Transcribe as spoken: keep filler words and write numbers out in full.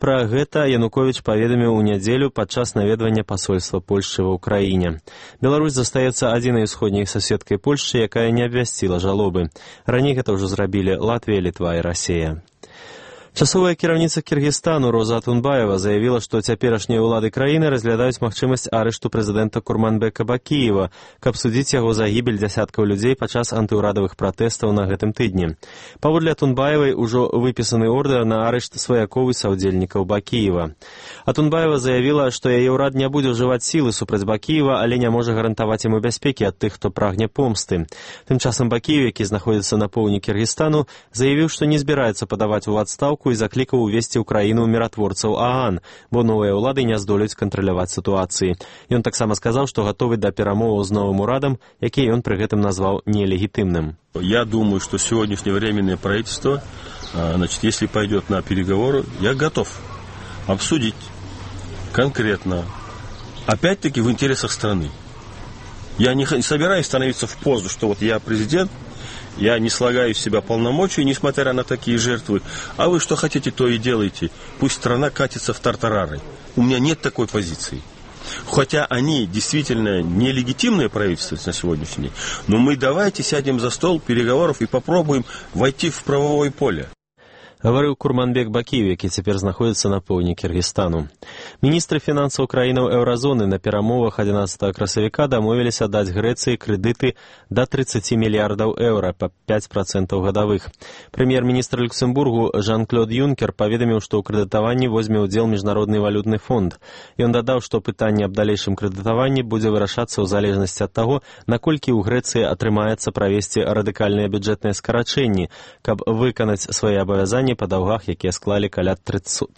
Пра гэта Януковіч паведаміў у нядзелю падчас наведвання пасольства Польшчы ва ўкраіне. Беларусь застаецца адзінай усходняй суседкай Польшчы, якая не абвясціла жалобы. Раней гэта ўжо зрабілі Латвія, Літва і Расія. Часовая кіраўніца Кіргізстану Роза Атунбаева заявіла, што цяперашнія ўлады краіны разглядаюць магчымасць арышту прэзідэнта Курманбека Бакіева, каб судзіць яго за гібель дзясяткаў людзей падчас антыўрадавых пратэстаў на гэтым тыдні. Паводле Атунбаевай ужо выпісаны ордэр на арышт сваякоў і саўдзельнікаў Бакіева. Атунбаева заявіла, што яе ўрад не будзе ўжываць сілы супраць Бакіева, але не можа гарантаваць яму бяспекі ад тых, хто прагне помсты. Тым часам Бакіев, які знаходзіцца на поўдні Кіргізстану, заявіў, што не збіраецца падаваць у адстаўку і заклікаў увесці ў краіну міратворцаў ААН, бо новыя ўлады не здолеюць кантраляваць сітуацыі. Ён таксама сказаў, што гатовы да перамоваў з новым урадам, які ён пры гэтым назваў нелегітымным. Я думаю, что сегодняшнее временное правительство, значит, если пойдет на переговоры, я готов обсудить конкретно, опять-таки в интересах страны. Я не собираюсь становиться в позу, что вот я президент, я не слагаю из себя полномочий, несмотря на такие жертвы. А вы что хотите, то и делайте. Пусть страна катится в тартарары. У меня нет такой позиции. Хотя они действительно нелегитимное правительство на сегодняшний день. Но мы давайте сядем за стол переговоров и попробуем войти в правовое поле. Гаварыў Курманбек Бакіев, які цяпер знаходзіцца на поўдні Кіргізстану. Міністры фінансаў краінаў еўразоны на перамовах адзінаццатага красавіка дамовіліся даць Грэцыі крэдыты да тридцати мільярдаў еўра па пяць працэнтаў гадавых. Прэм'ер-міністр Люксембургу Жан-Клод Юнкер паведаміў, што ў крэдытаванні возьме ўдзел Міжнародны валютны фонд. Ён дадаў, што пытанне аб далейшым крэдытаванні будзе вырашацца ў залежнасці ад таго, наколькі ў Грэцыі атрымаецца правесці радыкальныя бюджэтныя скарачэнні, каб выканаць свае абавязанні па даўгах, якія склалі каля трохсот